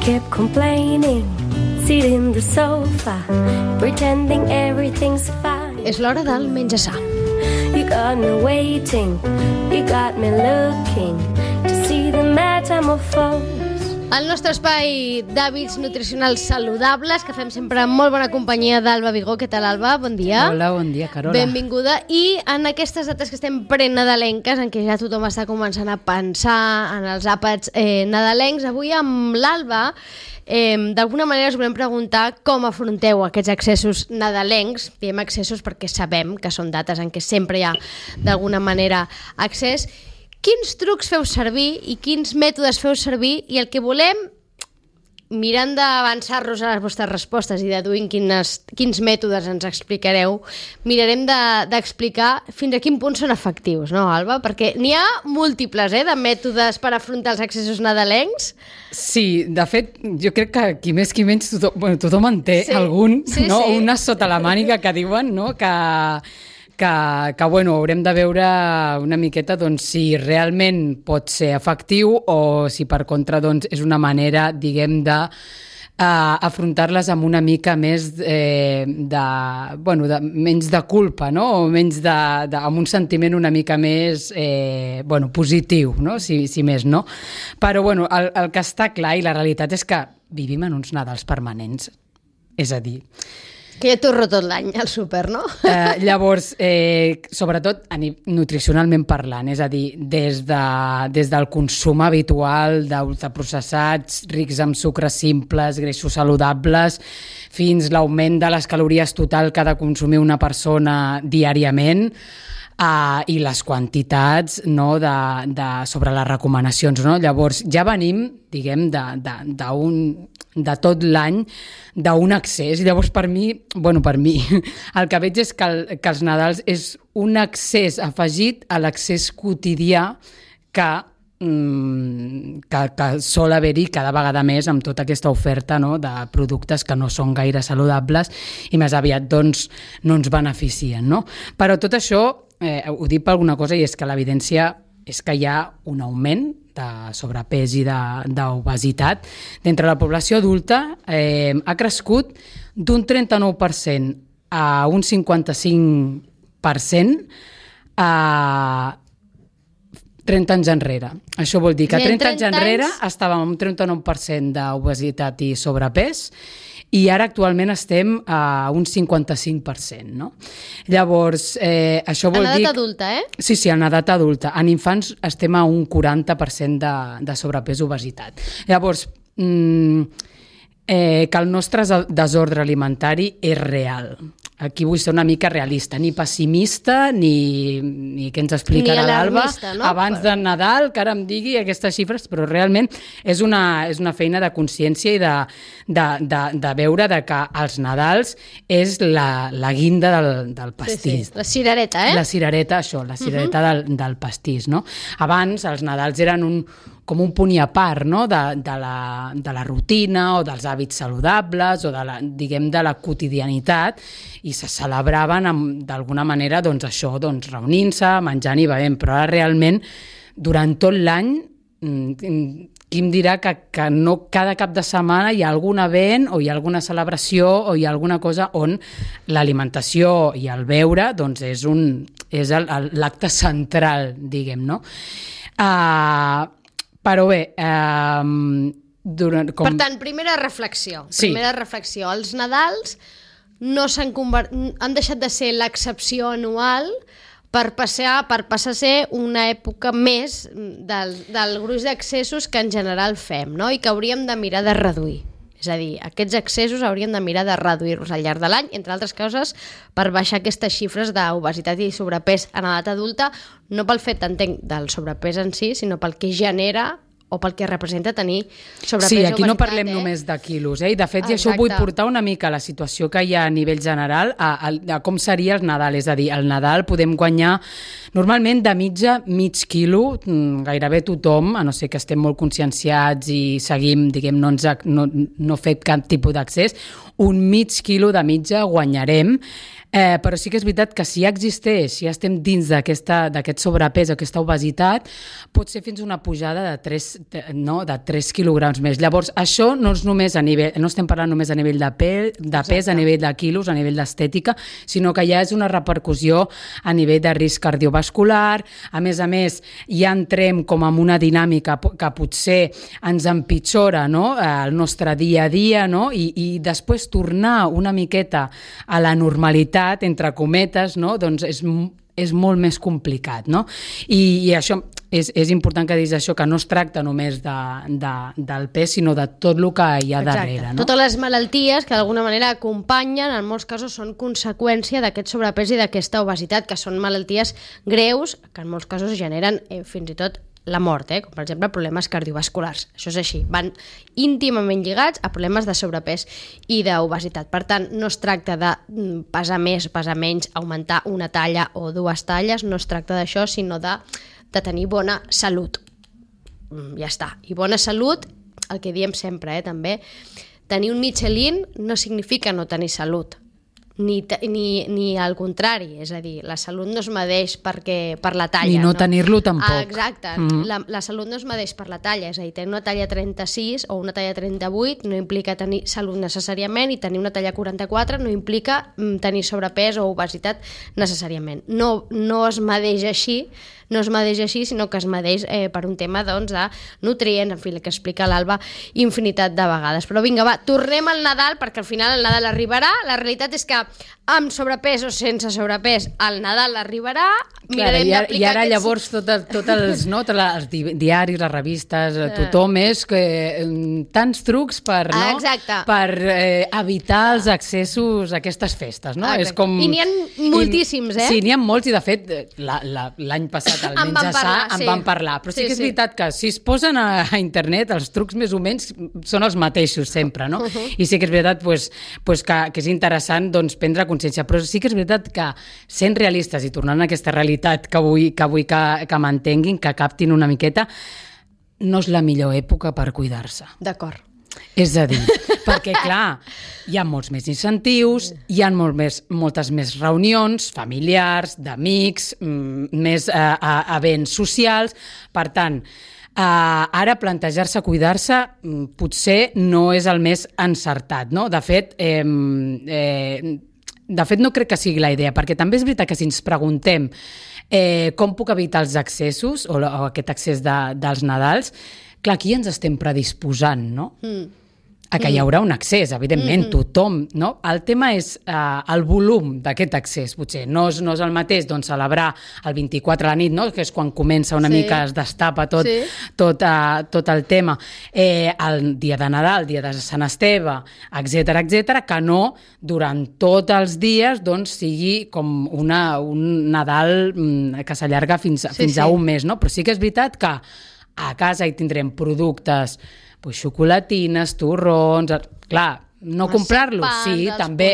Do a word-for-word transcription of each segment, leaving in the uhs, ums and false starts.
kept complaining, sitting in the sofa, pretending everything's fine. És l'hora del menjar sa. You got me waiting, you got me looking to see the metamorphose. El nostre espai d'hàbits nutricionals saludables, que fem sempre amb molt bona companyia d'Alba Vigó. Què tal, Alba? Bon dia. Hola, bon dia, Carola. Benvinguda. I en aquestes dates que estem prenadalenques, en què ja tothom està començant a pensar en els àpats eh, nadalencs, avui amb l'Alba eh, d'alguna manera us volem preguntar com afronteu aquests accessos nadalencs. Diem accessos perquè sabem que són dates en què sempre hi ha d'alguna manera accés. Quins trucs feu servir i quins mètodes feu servir, i el que volem, mirant d'avançar-nos a les vostres respostes i deduint quines, quins mètodes ens explicareu, mirarem d'explicar de, fins a quin punt són efectius, no, Alba? Perquè n'hi ha múltiples, eh, de mètodes per afrontar els accessos nadalencs. Sí, de fet, jo crec que qui més qui menys tothom, bueno, tothom en té sí. algun, sí, no? Sí. Una sota la màniga que diuen, no?, que... que, que bueno, haurem de veure una miqueta doncs, si realment pot ser efectiu o si per contra doncs, és una manera, diguem, de uh, afrontar-les amb una mica més eh, de, bueno, de, menys de culpa, no? O menys de, de, amb un sentiment una mica més eh, bueno, positiu, no? Si, si més no. Però bueno, el, el que està clar i la realitat és que vivim en uns Nadals permanents. És a dir, que ja torro tot l'any al súper, no? Eh, llavors, eh, sobretot nutricionalment parlant, és a dir, des, de, des del consum habitual d'ultraprocessats, rics en sucres simples, greixos saludables, fins l'augment de les calories total que ha de consumir una persona diàriament, Uh, i les quantitats, no, de, de, sobre les recomanacions, no? Llavors ja venim, diguem, de, de, de, un, de tot l'any d'un accés. Llavors per mi, bueno, per mi, el que veig és que, el, que els Nadals és un accés afegit a l'accés quotidià que Que, que sol haver-hi cada vegada més amb tota aquesta oferta, no, de productes que no són gaire saludables i més aviat doncs, no ens beneficien, no? Però tot això eh, ho dic per alguna cosa, i és que l'evidència és que hi ha un augment de sobrepès i d'obesitat d'entre la població adulta. Eh, ha crescut d'un trenta-nou per cent a un cinquanta-cinc per cent a trenta anys enrere. Això vol dir que trenta anys enrere estàvem amb un trenta-nou per cent d'obesitat i sobrepès i ara actualment estem a un cinquanta-cinc per cent, no? Llavors, eh, això vol dir... En edat adulta, eh? Sí, sí, en edat adulta. En infants estem a un quaranta per cent de, de sobrepès i obesitat. Llavors, mm, eh, que el nostre desordre alimentari és real. Aquí vull ser una mica realista, ni pessimista, ni, ni què ens explicarà l'Alba no? abans de Nadal, que ara em digui aquestes xifres, però realment és una, és una feina de consciència i de, de, de, de veure de que els Nadals és la, la guinda del, del pastís. Sí, sí. La cirereta, eh? La cirereta, això, la cirereta uh-huh. del, del pastís, no? Abans els Nadals eren un, com un punt i a part, no? de, de, la, de la rutina o dels hàbits saludables o de la, diguem, de la quotidianitat, i se celebraven d'alguna manera doncs, això, doncs, reunint-se, menjant i bevent, però ara realment durant tot l'any qui em dirà que, que no cada cap de setmana hi ha algun event o hi ha alguna celebració o hi ha alguna cosa on l'alimentació i el beure doncs, és, un, és l'acte central, diguem, no? Uh, però bé... Uh, durant, com... Per tant, primera reflexió. Sí. Primera reflexió. Els Nadals no s'han convert... han deixat de ser l'excepció anual per passar, per passar a ser una època més del, del gruix d'accessos que en general fem, no? I que hauríem de mirar de reduir. És a dir, aquests accessos hauríem de mirar de reduir-los al llarg de l'any, entre altres coses, per baixar aquestes xifres d'obesitat i sobrepès en edat adulta, no pel fet, entenc, del sobrepès en si, sinó pel que genera o pel que representa tenir sobrepès sí, i obesitat. Sí, aquí no parlem eh? només de quilos, eh? I de fet, ah, i això vull portar una mica la situació que hi ha a nivell general a, a, a com seria el Nadal, és a dir, al Nadal podem guanyar normalment de mitja mig quilo, gairebé tothom, a no ser que estem molt conscienciats i seguim, diguem, no, ens, no, no fet cap tipus d'accés, un mig quilo de mitja guanyarem Eh, però sí que és veritat que si ja existeix, si ja estem dins d'aquest sobrepès, aquesta obesitat, pot ser fins una pujada de tres, no, de tres quilograms més. Llavors, això no és només a nivell, no estem parlant només a nivell de, pe, de pes, a nivell de quilos, a nivell d'estètica, sinó que ja és una repercussió a nivell de risc cardiovascular. A més a més, ja entrem com en una dinàmica que potser ens empitjora, no?, el nostre dia a dia, no?, i, i després tornar una miqueta a la normalitat, entre cometes, no?, doncs és, és molt més complicat, no? I, i això és, és important que diguis això, que no es tracta només de, de, del pes, sinó de tot el que hi ha Exacte. darrere, no? Totes les malalties que d'alguna manera acompanyen, en molts casos són conseqüència d'aquest sobrepès i d'aquesta obesitat, que són malalties greus, que en molts casos generen eh, fins i tot la mort, eh? Com per exemple problemes cardiovasculars. Això és així, van íntimament lligats a problemes de sobrepès i d'obesitat. Per tant, no es tracta de pesar més, pesar menys, augmentar una talla o dues talles, no es tracta d'això, sinó de, de tenir bona salut. Ja està. I bona salut, el que diem sempre, eh, també, tenir un Michelin no significa no tenir salut. Ni, ni, ni al contrari, és a dir, la salut no es medeix perquè, per la talla. Ni no, no? tenir-lo tampoc. Ah, exacte, mm. la, la salut no es medeix per la talla, és a dir, tenir una talla trenta-sis o una talla trenta-vuit no implica tenir salut necessàriament, i tenir una talla quaranta-quatre no implica tenir sobrepès o obesitat necessàriament. No, no es medeix així, no es medeix així, sinó que es medeix eh, per un tema, doncs, de nutrients, en fi, el que explica l'Alba infinitat de vegades. Però vinga, va, tornem al Nadal, perquè al final el Nadal arribarà. La realitat és que amb sobrepès o sense sobrepès el Nadal arribarà. Clar, i, ara, i ara llavors tot el, tot els, no, tot els diaris, les revistes, tothom és que, tants trucs per, no? Exacte. per eh, evitar els accessos a aquestes festes. No? És com... I n'hi ha moltíssims, eh? Sí, n'hi ha molts, i de fet l'any passat el en Menja Sa en sí. van parlar, però sí, sí que és sí. veritat que si es posen a, a internet els trucs més o menys són els mateixos sempre, no? Uh -huh. I sí que és veritat pues, pues que, que és interessant doncs, prendre consciència, però sí que és veritat que sent realistes i tornant a aquesta realitat que vull que, vull que, que mantenguin, que captin una miqueta, no és la millor època per cuidar-se. D'acord. És a dir, perquè clar, hi ha molts més incentius, hi ha molt més, moltes més reunions familiars, d'amics, més eh, events socials. Per tant, eh, ara plantejar-se cuidar-se potser no és el més encertat, no? De fet, eh, eh, de fet no crec que sigui la idea, perquè també és veritat que si ens preguntem eh, com puc evitar els excessos o, o aquest excés de, dels Nadals, clar, aquí ens estem predisposant, no? Mm. A que hi haurà un accés, evidentment, mm-hmm. tothom, no? El tema és uh, el volum d'aquest accés, potser. No és, no és el mateix doncs, celebrar el vint-i-quatre a la nit, no? Que és quan comença una sí. mica, es destapa tot, sí. tot, uh, tot el tema. Eh, el dia de Nadal, el dia de Sant Esteve, etcètera, etcètera, que no durant tots els dies doncs, sigui com una, un Nadal mm, que s'allarga fins, sí, fins sí. a un mes, no? Però sí que és veritat que a casa hi tindrem productes, pues, xocolatines, torrons, clar, no comprar-los, sí, també,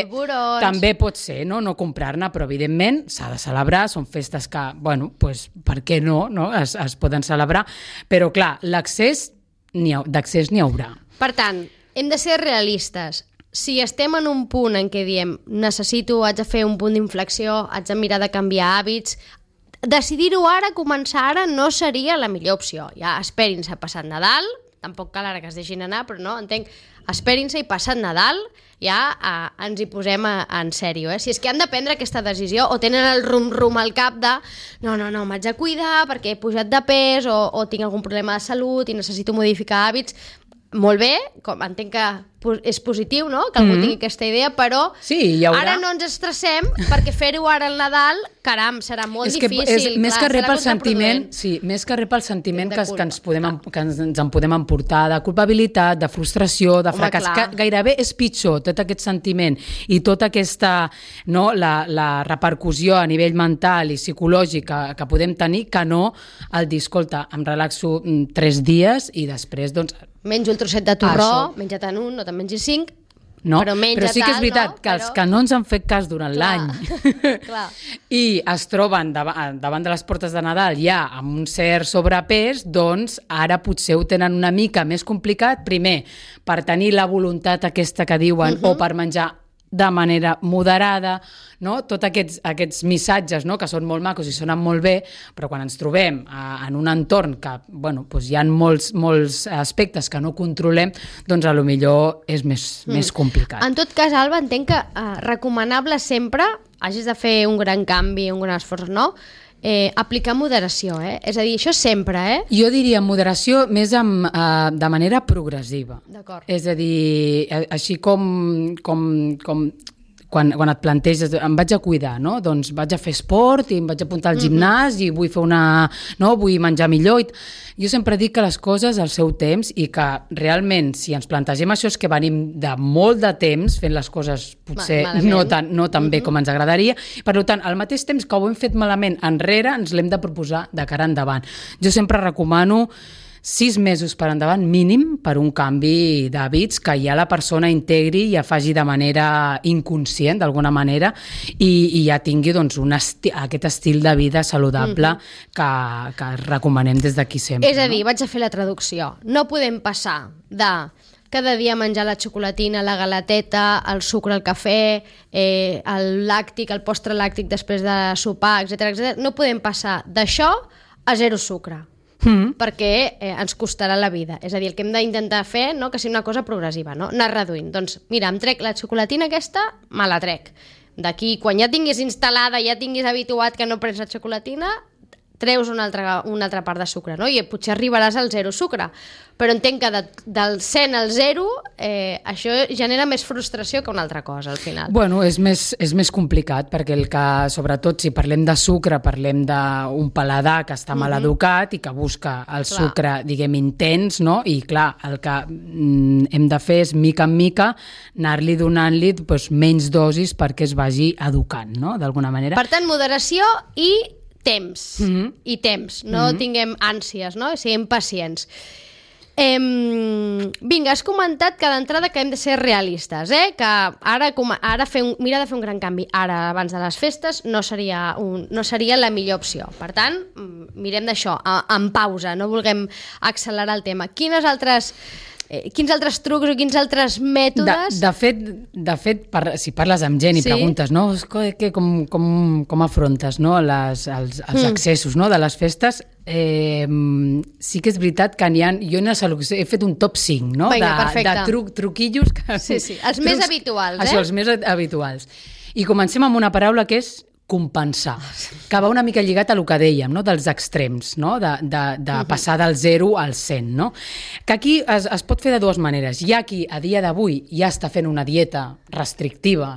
també pot ser, no, no comprar-ne, però evidentment s'ha de celebrar, són festes que, bueno, pues, per què no, no? Es, es poden celebrar, però clar, l'accés d'accés n'hi haurà. Per tant, hem de ser realistes. Si estem en un punt en què diem necessito, haig de fer un punt d'inflexió, haig de mirar de canviar hàbits, decidir-ho ara, començar ara, no seria la millor opció. Ja esperin-se a passar Nadal, tampoc cal ara que es deixin anar, però no, entenc, esperin-se i passat Nadal ja eh, ens hi posem a, a en sèrio. Eh? Si és que han de prendre aquesta decisió o tenen el rum-rum al cap de no, no, no, m'haig de cuidar perquè he pujat de pes o, o tinc algun problema de salut i necessito modificar hàbits, molt bé, com entenc que és positiu, no?, que algú mm-hmm. tingui aquesta idea, però sí, hi haurà... ara no ens estressem perquè fer-ho ara al Nadal, caram, serà molt és que difícil. És, més clar, que rep el sentiment, sí, més que rep el sentiment que, que, ens podem, que ens, ens en podem emportar de culpabilitat, de frustració, de fracàs, Home, que gairebé és pitjor tot aquest sentiment i tota aquesta, no, la, la repercussió a nivell mental i psicològic que, que podem tenir, que no el dir, escolta, em relaxo tres dies i després, doncs... Menjo el trosset de torró, menja-te'n un, no te'n mengis cinc, no, però menja però sí que és veritat tal, no? que els però... que no ens han fet cas durant l'any i es troben davant, davant de les portes de Nadal ja amb un cert sobrepès, doncs ara potser ho tenen una mica més complicat, primer per tenir la voluntat aquesta que diuen uh-huh. o per menjar de manera moderada, no? Tots aquests, aquests missatges, no? Que són molt macos i sonen molt bé, però quan ens trobem a, en un entorn que bueno, doncs hi ha molts, molts aspectes que no controlem, doncs a lo millor és més, mm. més complicat. En tot cas, Alba, entenc que eh, recomanable sempre, hagis de fer un gran canvi, un gran esforç, no? Eh, aplicar moderació, eh? És a dir, això sempre, eh? Jo diria moderació més amb, uh, de manera progressiva. D'acord. És a dir, així com, com, com quan, quan et planteges, em vaig a cuidar, no? Doncs vaig a fer esport i em vaig apuntar al gimnàs mm-hmm. i vull fer una... no? Vull menjar millor. I... Jo sempre dic que les coses al seu temps i que realment, si ens plantegem això, és que venim de molt de temps fent les coses potser malament. no tan, no tan bé mm-hmm. com ens agradaria. Per tant, al mateix temps que ho hem fet malament enrere, ens l'hem de proposar de cara endavant. Jo sempre recomano sis mesos per endavant mínim per un canvi d'hàbits que ja la persona integri i ja faci de manera inconscient, d'alguna manera, i, i ja tingui doncs, un esti aquest estil de vida saludable mm-hmm. que, que recomanem des d'aquí sempre. És a dir, no? vaig a fer la traducció. No podem passar de cada dia menjar la xocolatina, la galateta, el sucre, el cafè, eh, el làctic, el postre làctic després de sopar, etcètera, etcètera. No podem passar d'això a zero sucre. Mm. perquè eh, ens costarà la vida. És a dir, el que hem d'intentar fer, no, que sigui una cosa progressiva, no? Anar reduint. Doncs mira, em trec la xocolatina aquesta, me la trec. D'aquí, quan ja tinguis instal·lada, ja tinguis habituat que no prens la xocolatina, treus una altra, una altra part de sucre, no? I potser arribaràs al zero sucre. Però entenc que de, del cent al zero eh, això genera més frustració que una altra cosa, al final. Bueno, és més, és més complicat, perquè el que, sobretot, si parlem de sucre, parlem d'un paladar que està mal mm-hmm. educat i que busca el clar. Sucre, diguem, intens, no? I, clar, el que mm, hem de fer és, mica en mica, anar-li donant-li doncs, menys dosis perquè es vagi educant, no?, d'alguna manera. Per tant, moderació i temps, mm-hmm. i temps, no mm-hmm. tinguem ànsies, no? Siguem pacients. Eh, vinga, has comentat que d'entrada que hem de ser realistes, eh? Que ara, ara fer un, mira de fer un gran canvi ara, abans de les festes, no seria, un, no seria la millor opció. Per tant, mirem d'això, en pausa, no vulguem accelerar el tema. Quines altres... Eh, quins altres trucs o quins altres mètodes... De, de fet, de fet per, si parles amb gent i sí? preguntes, no? Que, com, com, com afrontes, no? Les, els, els mm. accessos, no? De les festes, eh, sí que és veritat que n'hi ha... Jo en he fet un top cinc, no? Vinga, de, de truc, truquillos... Que, sí, sí, els trucs, més habituals, eh? Això, els més habituals. I comencem amb una paraula que és compensar, que va una mica lligat a el que dèiem, no? Dels extrems, no? De, de, de uh-huh. passar del zero al cent, no? Que aquí es, es pot fer de dues maneres. Hi ha qui a dia d'avui ja està fent una dieta restrictiva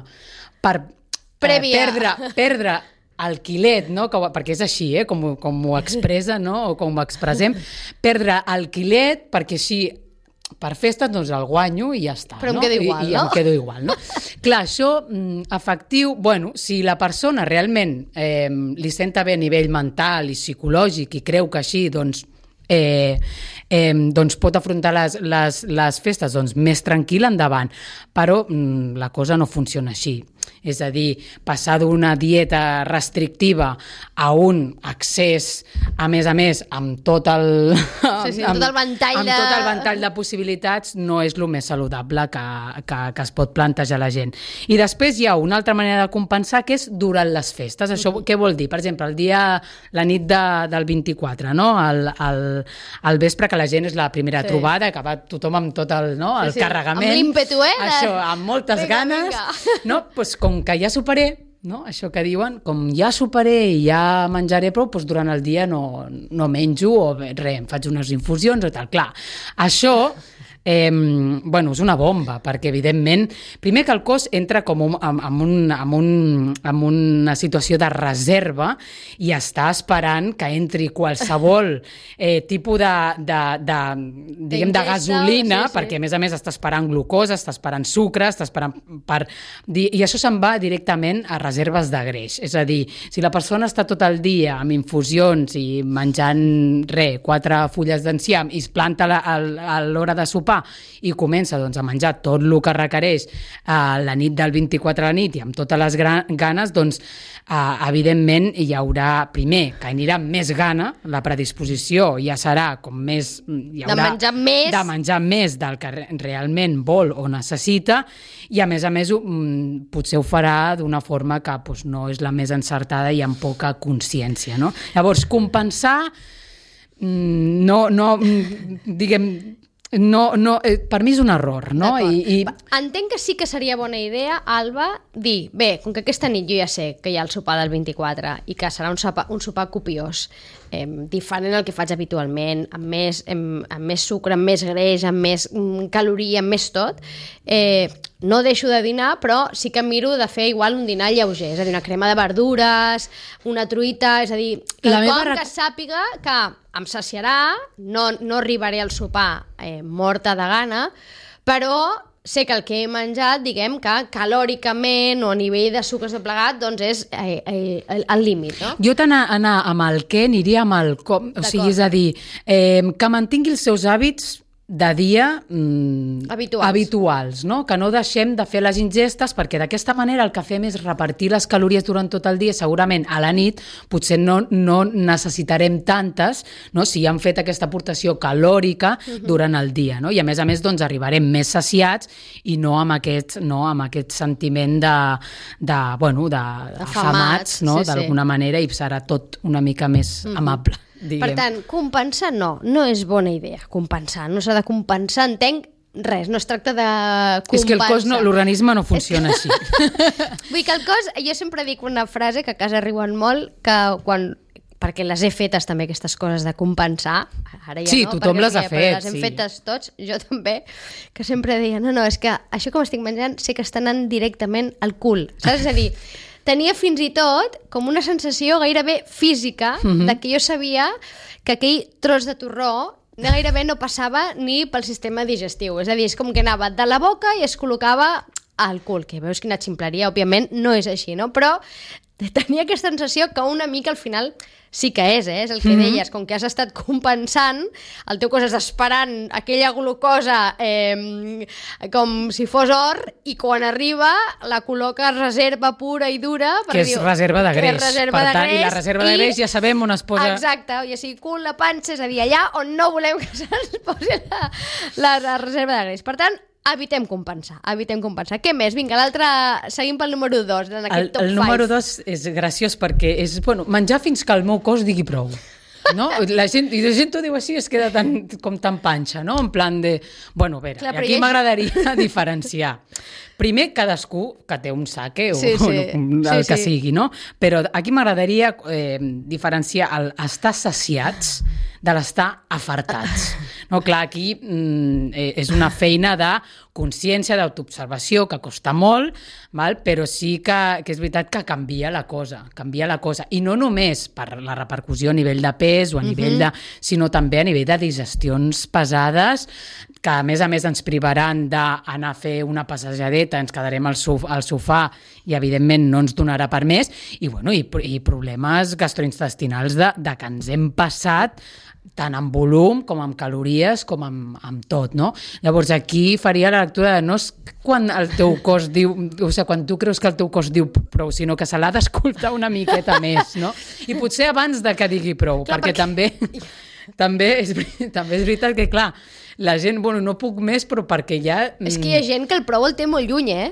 per eh, perdre, perdre el quilet, no? Que, perquè és així, eh? com, com ho expressa, no? O com ho expressem, perdre el quilet perquè així per festes doncs el guanyo i ja està. Però em no? quedo igual, I, no? I em quedo igual, no? Clar, això efectiu, bueno, si la persona realment eh, li senta bé a nivell mental i psicològic i creu que així, doncs, eh, eh, doncs pot afrontar les, les, les festes doncs, més tranquil endavant, però mm, la cosa no funciona així. És a dir, passar d'una dieta restrictiva a un accés, a més a més, amb tot el, sí, sí, amb, tot el ventall amb de... tot el ventall de possibilitats, no és el més saludable que, que, que es pot plantejar la gent. I després hi ha una altra manera de compensar, que és durant les festes. Això mm-hmm. què vol dir? Per exemple, el dia, la nit de, del vint-i-quatre, no? el, el, el vespre, que la gent és la primera sí. trobada, que va tothom amb tot el, no? el sí, sí. carregament. Amb l'ímpetu, eh? Això, amb moltes vinga, ganes. Vinga. No? Pues, com que ja superé, no? Això que diuen, com ja superé i ja menjaré prou, doncs durant el dia no, no menjo o res, em faig unes infusions o tal. Clar, això eh, bueno, és una bomba, perquè evidentment, primer que el cos entra com un, amb, amb, un, amb, un, amb una situació de reserva i està esperant que entri qualsevol eh, tipus de, de, de, diguem, de gasolina, sí, sí. perquè a més a més està esperant glucosa, està esperant sucre, està esperant per... I això se'n va directament a reserves de greix. És a dir, si la persona està tot el dia amb infusions i menjant, res, quatre fulles d'enciam i es planta a l'hora de sopar sopar i comença doncs, a menjar tot el que requereix eh, la nit del vint-i-quatre a la nit i amb totes les ganes, doncs eh, evidentment hi haurà, primer, que anirà amb més gana, la predisposició ja serà com més... Hi haurà, de menjar més. De menjar més del que realment vol o necessita i a més a més potser ho farà d'una forma que doncs, no és la més encertada i amb poca consciència, no? Llavors, compensar no, no diguem... No, no, eh, per mi és un error, no? I, i... Entenc que sí que seria bona idea, Alba, dir, bé, com que aquesta nit jo ja sé que hi ha el sopar del vint-i-quatre i que serà un sopar, un sopar copiós, eh, diferent al que faig habitualment, amb més, amb, amb més sucre, amb més greix, amb més mm, caloria, amb més tot, eh, no deixo de dinar, però sí que miro de fer igual un dinar lleuger, és a dir, una crema de verdures, una truita, és a dir, quelcom meva... que sàpiga que em saciarà, no, no arribaré al sopar eh, morta de gana, però sé que el que he menjat, diguem que calòricament o a nivell de sucres de plegat, doncs és eh, eh, el límit, no? Jo tant anar amb el què aniria amb el com, o sigui, és a dir, eh, que mantingui els seus hàbits de dia mm, habituals. habituals, no? Que no deixem de fer les ingestes perquè d'aquesta manera el que fem és repartir les calories durant tot el dia, segurament a la nit potser no, no necessitarem tantes, no? Si hem fet aquesta aportació calòrica uh-huh. durant el dia, no? I a més a més doncs arribarem més saciats i no amb aquest, no, amb aquest sentiment de, de, bueno, de, de afamats, no? Sí, d'alguna sí. manera, i serà tot una mica més uh-huh. amable. Diguem. Per tant, compensar no, no és bona idea, compensar, no s'ha de compensar, entenc res, no es tracta de compensar. És que el cos, no, l'organisme no funciona és que... així. Vull que el cos, jo sempre dic una frase que a casa riuen molt, que quan, perquè les he fetes també aquestes coses de compensar, ara ja sí, no, tothom les ha ja, fet, les hem sí. fetes tots, jo també, que sempre deia, no, no, és que això com estic menjant sé que està anant directament al cul, saps? És a dir, tenia fins i tot com una sensació gairebé física uh-huh. de que jo sabia que aquell tros de torró gairebé no passava ni pel sistema digestiu. És a dir, és com que anava de la boca i es col·locava al cul, que veus quina ximpleria, òbviament no és així, no? Però tenia aquesta sensació que una mica al final sí que és, eh? És el que mm-hmm. deies, com que has estat compensant, el teu cos està esperant aquella glucosa eh, com si fos or, i quan arriba la col·loca reserva pura i dura, que és diu, reserva de greix, reserva per de tant, greix, i la reserva de greix ja sabem on es posa... Exacte, i així cul, la panxa, és a dir, allà on no volem que se'ns posi la, la, la reserva de greix. Per tant, evitem compensar, evitem compensar. Què més? Vinga, l'altre, seguim pel número dos, en aquest el, top el número dos és graciós perquè és, bueno, menjar fins que el meu cos digui prou. No? La gent, i la gent ho diu així, es queda tan, com tan panxa, no? En plan de... Bueno, a veure, Clar, aquí m'agradaria diferenciar. Primer, cadascú que té un saque o, sí, sí. o el sí, que sí. sigui, no? Però aquí m'agradaria eh, diferenciar el estar saciats de l'estar afartats. No, clar, aquí mm, és una feina de consciència, d'autoobservació, que costa molt, val? Però sí que, que és veritat que canvia la cosa, canvia la cosa. I no només per la repercussió a nivell de pes o a nivell de... sinó també a nivell de digestions pesades, que a més a més ens privaran d'anar a fer una passejadeta, ens quedarem al, sof al sofà i evidentment no ens donarà per més, i, bueno, i, i problemes gastrointestinals de, de que ens hem passat tant en volum com en calories com amb, amb tot, no? Llavors aquí faria la lectura de no és quan el teu cos diu, o sigui, quan tu creus que el teu cos diu prou, sinó que se l'ha d'escoltar una miqueta més, no? I potser abans de que digui prou, clar, perquè, perquè també, també, és, també és veritat que, clar, la gent, bueno, no puc més, però perquè ja... És que hi ha gent que el prou el té molt lluny, eh?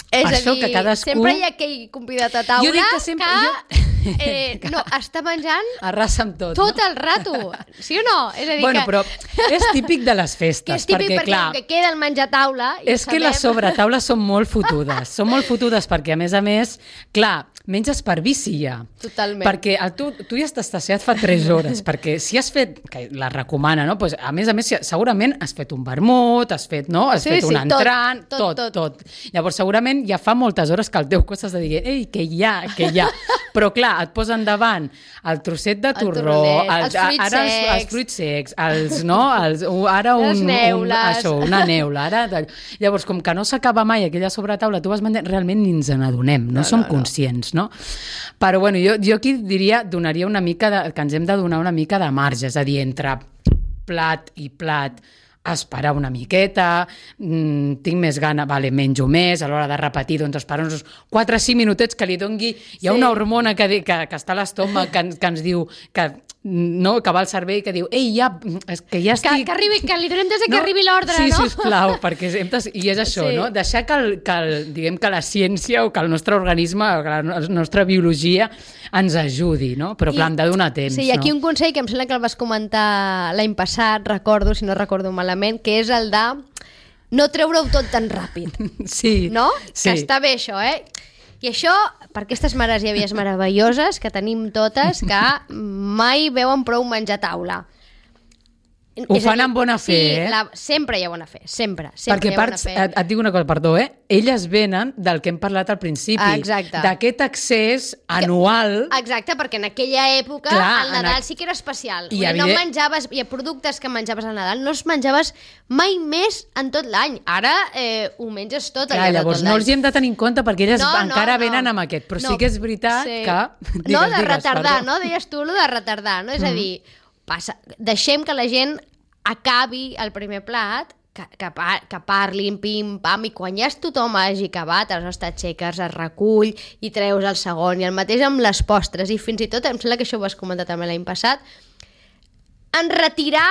És per a això dir, que cadascú... sempre hi ha aquell convidat a taula jo dic que, sempre, que, jo... eh, no, està menjant arrasa amb tot, tot no? el rato, sí o no? És a dir bueno, que... però és típic de les festes. Que és típic perquè, perquè, clar, que queda el menjar a taula... És que les sobretaules són molt fotudes, són molt fotudes perquè, a més a més, clar, menges per vici ja. Totalment. Perquè el, tu, tu ja estàs saciat fa tres hores, perquè si has fet, que la recomana, no? Pues, a més a més, segurament has fet un vermut, has fet, no? has sí, fet sí, un entrant, tot tot, tot, tot, tot. Llavors, segurament ja fa moltes hores que el teu cos estàs de dir, ei, que hi ha, que hi ha. Però, clar, et posen davant el trosset de torró, el els, els fruits ara secs, els, els fruits secs, els, no? Els, ara un, les neules. Un, això, una neula. Ara, llavors, com que no s'acaba mai aquella sobretaula, tu vas menjant, realment ni ens n'adonem, no, no som no, conscients, no? Però, bueno, jo, jo aquí diria, donaria una mica de, que ens hem de donar una mica de marge, és a dir, entre plat i plat esperar una miqueta, mmm, tinc més gana, vale, menjo més, a l'hora de repetir, doncs esperar uns quatre o cinc minutets que li dongui... Hi ha sí. una hormona que, que, que està a l'estómac que, que ens diu... que no, que va al cervell que diu ei, ja, que ja estic... Que, que, arribi, que li donem des que no? arribi l'ordre, sí, no? Sí, sisplau, perquè hem de... i és això, sí. no? Deixar que, el, que el, diguem que la ciència o que el nostre organisme, o que la nostra biologia ens ajudi, no? Però clar, hem de donar temps, sí, i aquí no? un consell que em sembla que el vas comentar l'any passat, recordo, si no recordo malament, que és el de no treure-ho tot tan ràpid. Sí. No? Sí. Que està bé això, eh? I això, per aquestes mares i àvies meravelloses que tenim totes, que mai veuen prou menjar a taula. Ho fan amb bona fe, sí, eh? La, sempre hi ha bona fe, sempre. sempre Perquè parts, et, et dic una cosa, perdó, eh? Elles venen del que hem parlat al principi. Exacte. D'aquest accés anual... Que, exacte, perquè en aquella època clar, el Nadal a... sí que era especial. I evident... no menjaves, hi ha productes que menjaves al Nadal, no els menjaves mai més en tot l'any. Ara eh, ho menges tot clar, allà llavors tot no els hi hem de tenir en compte perquè elles no, encara no, venen no. amb aquest, però no, sí que és veritat sí. que... Digues, no, de digues, retardar, perdó. no? Deies tu, allò de retardar, no? És mm. a dir, passa, deixem que la gent acabi el primer plat, que, que, par que parlin, pim-pam, i quan ja tothom hagi acabat, aleshores t'aixeques, es recull i treus el segon, i el mateix amb les postres, i fins i tot, em sembla que això ho vas comentar també l'any passat, en retirar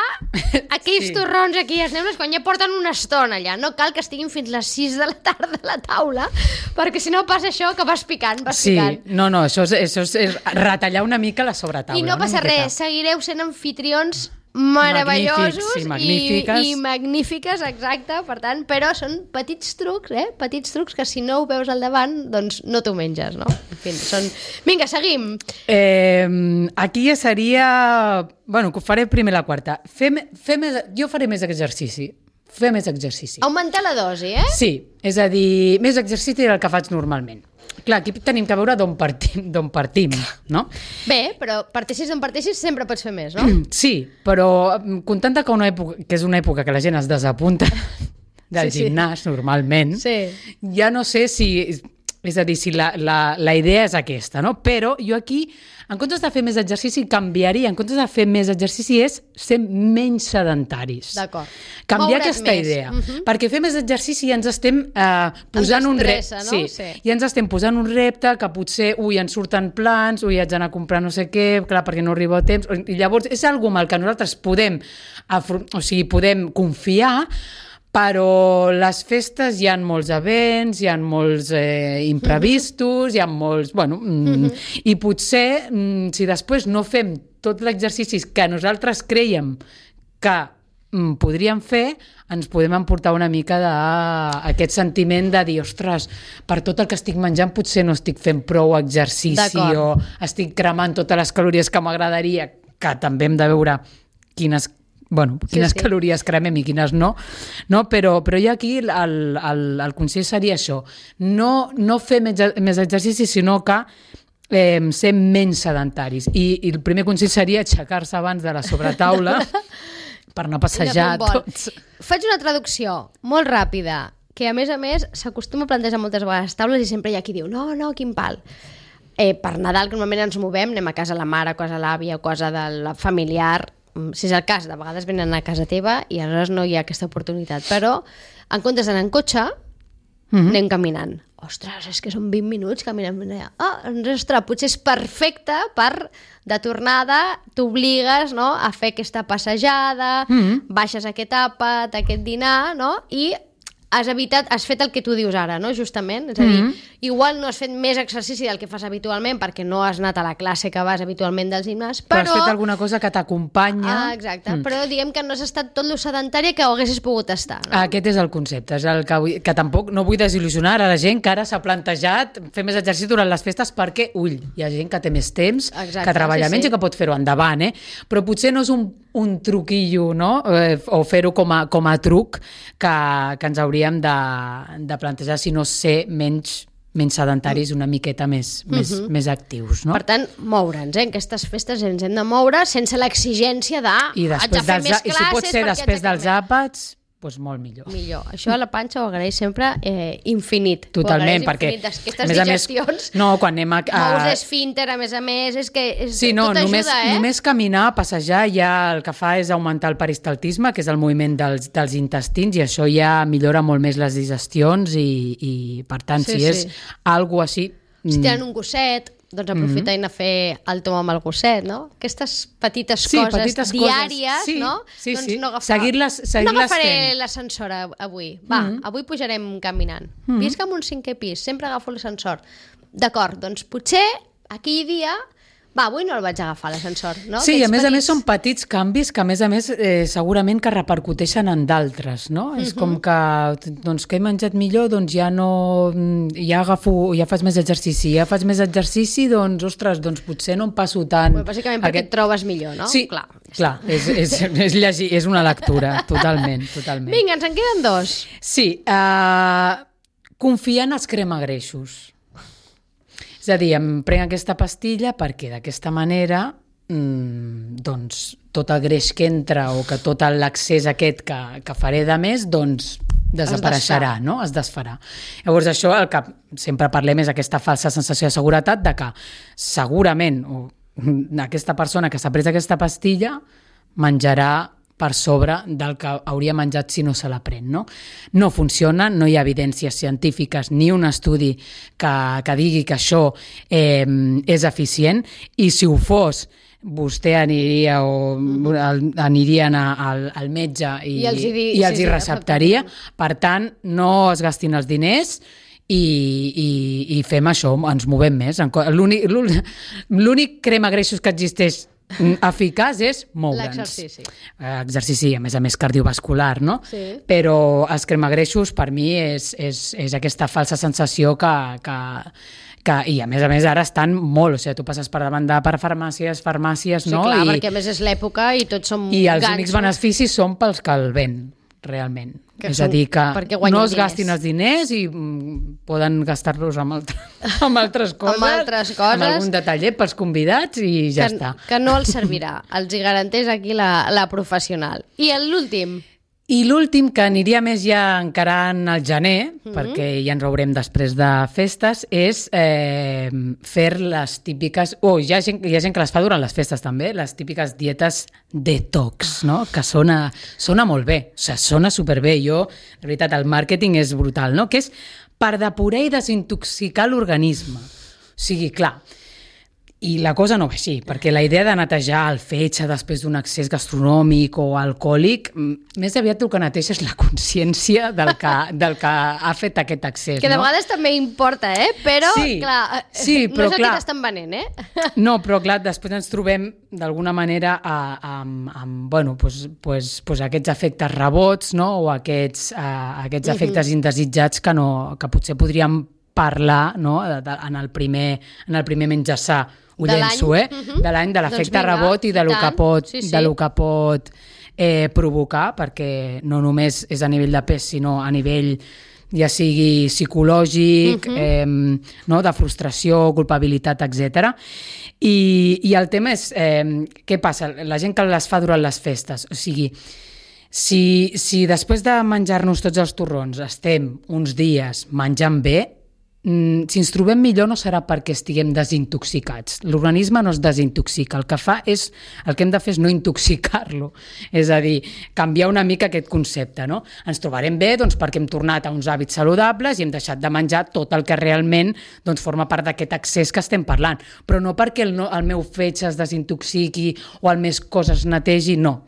aquells sí. torrons aquí als neules quan ja porten una estona allà. No cal que estiguin fins les sis de la tarda a la taula, perquè si no passa això que vas picant, vas sí. picant. No, no, això és, això és retallar una mica la sobretaula. I no passa res, seguireu sent anfitrions meravellosos sí, magnífiques. I, i magnífiques, exacte, per tant, però són petits trucs, eh? Petits trucs que si no ho veus al davant, doncs no t'ho menges, no? En fi, són... Vinga, seguim. Eh, aquí ja seria... Bueno, faré primer la quarta. Fer, fer més... Jo faré més exercici. Fer més exercici. Augmentar la dosi, eh? Sí, és a dir, més exercici del que faig normalment. Clar, aquí tenim que veure d'on partim, d'on partim, no? Bé, però parteixis d'on parteixis sempre pots fer més, no? Sí, però comptant que, una època, que és una època que la gent es desapunta del sí, gimnàs, sí. normalment, sí. ja no sé si... És a dir, si la, la, la idea és aquesta, no? Però jo aquí, en comptes de fer més exercici, canviaria. En comptes de fer més exercici és ser menys sedentaris. D'acord. Canviar Moure't aquesta més. idea. Uh-huh. Perquè fer més exercici ja ens estem eh, posant un repte. No? Sí, sí. Ja ens estem posant un repte que potser, ui, ens surten plans, ui, haig d'anar a comprar no sé què, clar, perquè no arriba a temps. I llavors és algo amb el que nosaltres podem, o sigui, podem confiar, però les festes hi ha molts events, hi ha molts eh, imprevistos, hi ha molts... Bueno, mm, mm-hmm. I potser, mm, si després no fem tot l'exercici que nosaltres creiem que mm, podríem fer, ens podem emportar una mica d'aquest sentiment de dir, ostres, per tot el que estic menjant potser no estic fent prou exercici o estic cremant totes les calories que m'agradaria, que també hem de veure quines bueno, quines sí, sí. calories cremem i quines no, no? Però, però ja aquí el, el, el consell seria això, no, no fer més, més exercici, sinó que eh, ser menys sedentaris. I, I el primer consell seria aixecar-se abans de la sobretaula per anar a passejar tots. Faig una traducció molt ràpida, que a més a més s'acostuma a plantejar moltes vegades taules i sempre hi ha qui diu, no, no, quin pal. Eh, per Nadal, que normalment ens movem, anem a casa de la mare, a casa de l'àvia, a casa del familiar. Si és el cas, de vegades venen a casa teva i aleshores no hi ha aquesta oportunitat. Però, en comptes d'anar en cotxe, mm-hmm. anem caminant. Ostres, és que són vint minuts caminant. Ah, ostres, potser és perfecte per, de tornada, t'obligues, no?, a fer aquesta passejada, mm-hmm. baixes aquest àpat, aquest dinar, no?, i has evitat, has fet el que tu dius ara, no?, justament. És a dir, mm-hmm. igual no has fet més exercici del que fas habitualment perquè no has anat a la classe que vas habitualment del gimnàs, però... Però has fet alguna cosa que t'acompanya. Ah, exacte. Mm. Però diguem que no has estat tot lo sedentària que ho haguessis pogut estar, no? Aquest és el concepte. És el que, vull, que tampoc no vull desil·lusionar a la gent que ara s'ha plantejat fer més exercici durant les festes perquè, ull, hi ha gent que té més temps, exacte, que treballa sí, menys sí. i que pot fer-ho endavant, eh? Però potser no és un, un truquillo, no?, eh, o fer-ho com a, com a truc que, que ens hauríem de, de plantejar, si no ser menys menys sedentaris, una miqueta més, mm-hmm. més, més actius, no? Per tant, moure'ns, eh? En aquestes festes ens hem de moure sense l'exigència de... I després haig de fer dels, més i classes... si pot ser després dels àpats, doncs molt millor. Millor. Això a la panxa ho agraeix sempre eh, infinit. Totalment, perquè... Aquestes a més a digestions... Més, no, quan anem a... a... Mous esfínter, a més a més, és que és, sí, no, tot només, ajuda, eh? Només caminar, passejar, ja el que fa és augmentar el peristaltisme, que és el moviment dels, dels intestins, i això ja millora molt més les digestions, i, i per tant, sí, si sí. és algo així... Si tenen un gosset, doncs aprofitin mm-hmm. a fer el tom amb el gosset, no? Aquestes petites sí, coses petites diàries, coses. Sí, no? Sí, doncs sí. no agafar... Seguir-les seguir no agafaré l'ascensor avui. Va, mm-hmm. avui pujarem caminant. Mm-hmm. Visc en un cinquè pis, sempre agafo l'ascensor. D'acord, doncs potser aquell dia... Va, avui no el vaig agafar, l'ascensor, no? Sí, Aquests a més petits... a més són petits canvis que a més a més eh, segurament que repercuteixen en d'altres, no? Mm-hmm. És com que, doncs, que he menjat millor, doncs ja no... ja agafo, ja faig més exercici. Ja faig més exercici, doncs, ostres, doncs potser no em passo tant... Bueno, bàsicament perquè Aquest... et trobes millor, no? Sí, clar, clar és, és, és, llegir, és una lectura, totalment, totalment. Vinga, ens en queden dos. Sí, uh, confiar en els cremagreixos. És a dir, em prenc aquesta pastilla perquè d'aquesta manera mmm, doncs tot el greix que entra o que tot l'accés aquest que, que faré de més, doncs desapareixerà, no? Es desfarà. Llavors això, el que sempre parlem és aquesta falsa sensació de seguretat de que segurament o, aquesta persona que s'ha pres aquesta pastilla menjarà per sobre del que hauria menjat si no se la pren, no? No funciona, no hi ha evidències científiques ni un estudi que, que digui que això eh, és eficient, i si ho fos vostè aniria o anirien a, al, al metge i, I els hi, di... i els sí, hi sí, receptaria. Per tant, no es gastin els diners i, i, i fem això, ens movem més. L'únic, l'únic cremagreixos que existeix eficaç és moure'ns. L'exercici. Exercici, a més a més, cardiovascular, no? Sí. Però els cremagreixos, per mi, és, és, és aquesta falsa sensació que, que, que... I, a més a més, ara estan molt... O sigui, tu passes per davant de per farmàcies, farmàcies, sí, no? Sí, clar, I, perquè a més és l'època i tots som I els gansos. únics beneficis són pels que el ven, realment. Que és són, a dir, que no es diners. gastin els diners i mm, poden gastar-los amb, altre, amb altres coses, amb altres coses, amb algun detallet pels convidats i ja que, està. Que no els servirà, els hi garanteix aquí la, la professional. I l'últim? I l'últim, que aniria més ja encarant al gener, mm-hmm. perquè ja ens veurem després de festes, és eh, fer les típiques... Oh, hi ha, gent, hi ha gent que les fa durant les festes també, les típiques dietes detox, no? Que sona, sona molt bé, o sigui, sona superbé. Jo, de veritat, el màrqueting és brutal, no? Que és per depurar i desintoxicar l'organisme. O sigui, clar, i la cosa no va així, perquè la idea de netejar el fetge després d'un excés gastronòmic o alcohòlic, més aviat el que neteja és la consciència del que, del que ha fet aquest excés. Que de no? vegades també importa, eh? Però, sí, clar, sí, no però, és el clar, que t'estan venent, eh? No, però clar, després ens trobem d'alguna manera a, a, amb, amb bueno, pues, pues, pues aquests efectes rebots, no? O aquests, a, aquests efectes mm-hmm. indesitjats que, no, que potser podríem parlar, no? de, de, en, el primer, en el primer menjar sa. Ho llenço, eh? Uh-huh. De l'any, de l'efecte doncs rebot i de lo que pot, sí, sí. de lo que pot eh, provocar, perquè no només és a nivell de pes, sinó a nivell ja sigui psicològic, uh-huh. eh, no? de frustració, culpabilitat, etcètera. I, I el tema és, eh, què passa? La gent que les fa durant les festes, o sigui, si, si després de menjar-nos tots els torrons estem uns dies menjant bé, si ens trobem millor no serà perquè estiguem desintoxicats. L'organisme no es desintoxica. El que fa és, el que hem de fer és no intoxicar-lo. És a dir, canviar una mica aquest concepte, no? Ens trobarem bé doncs, perquè hem tornat a uns hàbits saludables i hem deixat de menjar tot el que realment doncs, forma part d'aquest excés que estem parlant. Però no perquè el, no, el meu fetge es desintoxiqui o el més coses netegi, no.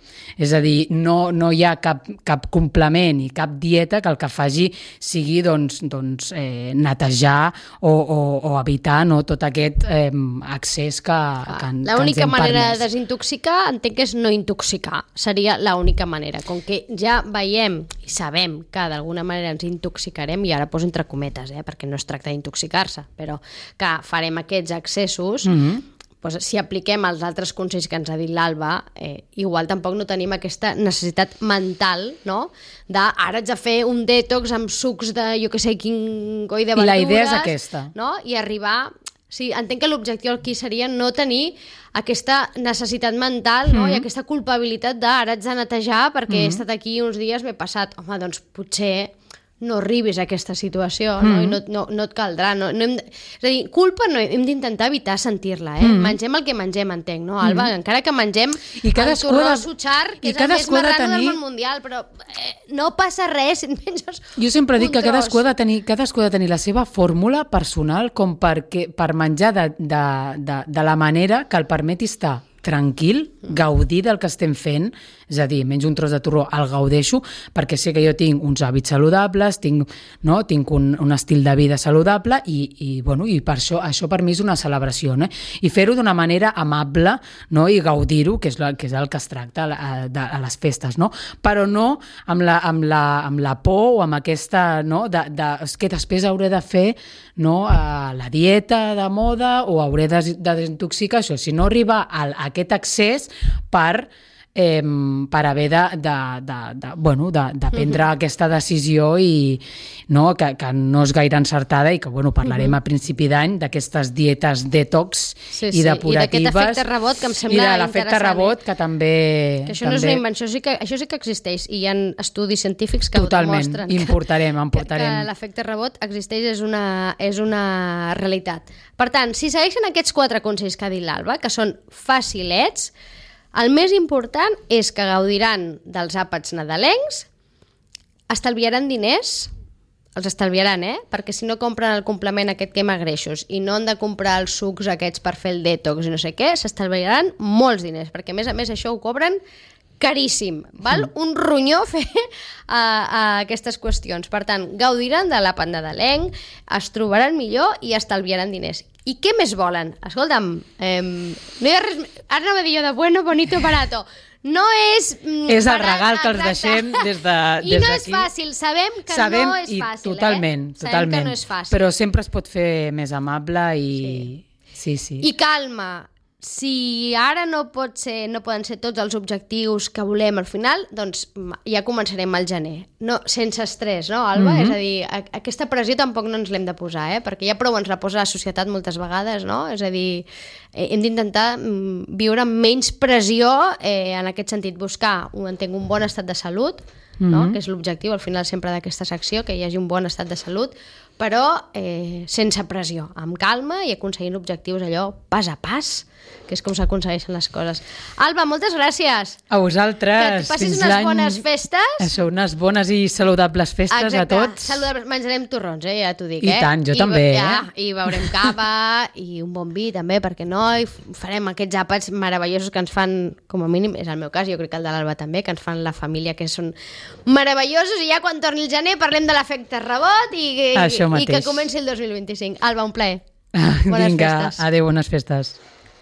És a dir, no, no hi ha cap, cap complement i cap dieta que el que faci sigui doncs, doncs, eh, netejar O, o, o evitar no, tot aquest eh, accés que, ah, que, que l'única ens hem manera permès. de desintoxicar entenc que és no intoxicar, seria l'única manera, com que ja veiem i sabem que d'alguna manera ens intoxicarem, i ara poso entre cometes, eh, perquè no es tracta d'intoxicar-se, però que farem aquests accessos, mm-hmm. doncs, si apliquem els altres consells que ens ha dit l'Alba, eh, igual tampoc no tenim aquesta necessitat mental, no?, de ara haig de fer un detox amb sucs de, jo què sé, quin coi de verdures. I la idea és aquesta. No? I arribar Sí, entenc que l'objectiu aquí seria no tenir aquesta necessitat mental, no? Mm-hmm. I aquesta culpabilitat de ara haig de netejar perquè mm-hmm. he estat aquí uns dies, m'he passat. Home, doncs potser no arribis a aquesta situació, mm-hmm. no? I no, no, no et caldrà. No, no hem de... És a dir, culpa no, hem d'intentar evitar sentir-la, eh? Mm-hmm. Mengem el que mengem, entenc, no, Alba? Mm-hmm. Encara que mengem I el torró suchar, que és el més marrano tenir... del món mundial, però eh, no passa res si et menges Jo sempre dic que tros. cadascú ha de tenir, cadascú ha de tenir la seva fórmula personal com perquè, per menjar de, de, de, de la manera que el permeti estar tranquil, gaudir del que estem fent, és a dir, menys un tros de torró, el gaudeixo, perquè sé que jo tinc uns hàbits saludables, tinc, no, tinc un, un estil de vida saludable i, i, bueno, i per això, això per mi és una celebració, no? I fer-ho d'una manera amable, no? I gaudir-ho, que és, la, que és el que es tracta a, a, a les festes, no? Però no amb la, amb la, amb la por o amb aquesta, no? De, de, és que després hauré de fer, no? A la dieta de moda o hauré de, de desintoxicar això, sinó arribar a, a aquest accés per eh, per haver de, de, de, de, bueno, de, de prendre uh-huh. aquesta decisió i no, que, que no és gaire encertada i que bueno, parlarem uh-huh. a principi d'any d'aquestes dietes detox sí, i depuratives. I d'aquest efecte rebot que em sembla I de interessant. l'efecte rebot que també... Que això també... no és una invenció, sí que, això sí que existeix i hi ha estudis científics que Totalment. ho demostren. Importarem, importarem. Que, que l'efecte rebot existeix, és una, és una realitat. Per tant, si segueixen aquests quatre consells que ha dit l'Alba, que són facilets, el més important és que gaudiran dels àpats nadalencs, estalviaran diners, els estalviaran, eh? Perquè si no compren el complement aquest que greixos i no han de comprar els sucs aquests per fer el detox i no sé què, s'estalviaran molts diners, perquè a més a més això ho cobren caríssim, val? Un ronyó fer a, a aquestes qüestions. Per tant, gaudiran de l'àpat nadalenc, es trobaran millor i estalviaran diners. I què més volen? Escolta'm, eh, no hi ha res... Ara anava a dir jo de bueno, bonito, barato. No és... Mm, és el barat, regal que els exacte. deixem des de I des no d'aquí. és fàcil, sabem que sabem, no és i fàcil, totalment, eh? Totalment, Sabem que no és fàcil. Però sempre es pot fer més amable i... Sí, sí. sí. I calma. Si ara no pot ser, no poden ser tots els objectius que volem al final, doncs ja començarem al gener. No, sense estrès, no, Alba? Mm-hmm. És a dir, a, aquesta pressió tampoc no ens l'hem de posar, eh? Perquè ja prou ens la posa la societat moltes vegades, no? És a dir, hem d'intentar viure amb menys pressió eh, en aquest sentit, buscar, entenc, un bon estat de salut, mm-hmm. no? Que és l'objectiu al final sempre d'aquesta secció, que hi hagi un bon estat de salut, però eh, sense pressió, amb calma i aconseguint objectius allò pas a pas, que és com s'aconsegueixen les coses. Alba, moltes gràcies. A vosaltres. Que passis unes bones festes. Això, unes bones i saludables festes. Exacte. A tots. Saludables. Menjarem torrons, eh? Ja t'ho dic, I eh? tant, jo I, també. Ja, eh? I beurem cava i un bon vi també, perquè no? I farem aquests àpats meravellosos que ens fan, com a mínim, és el meu cas, jo crec que el de l'Alba també, que ens fan la família, que són meravellosos, i ja quan torni el gener parlem de l'efecte rebot i, i, i que comenci el dos mil vint-i-cinc. Alba, un plaer. Bones Vinga, festes. Adéu, bones festes.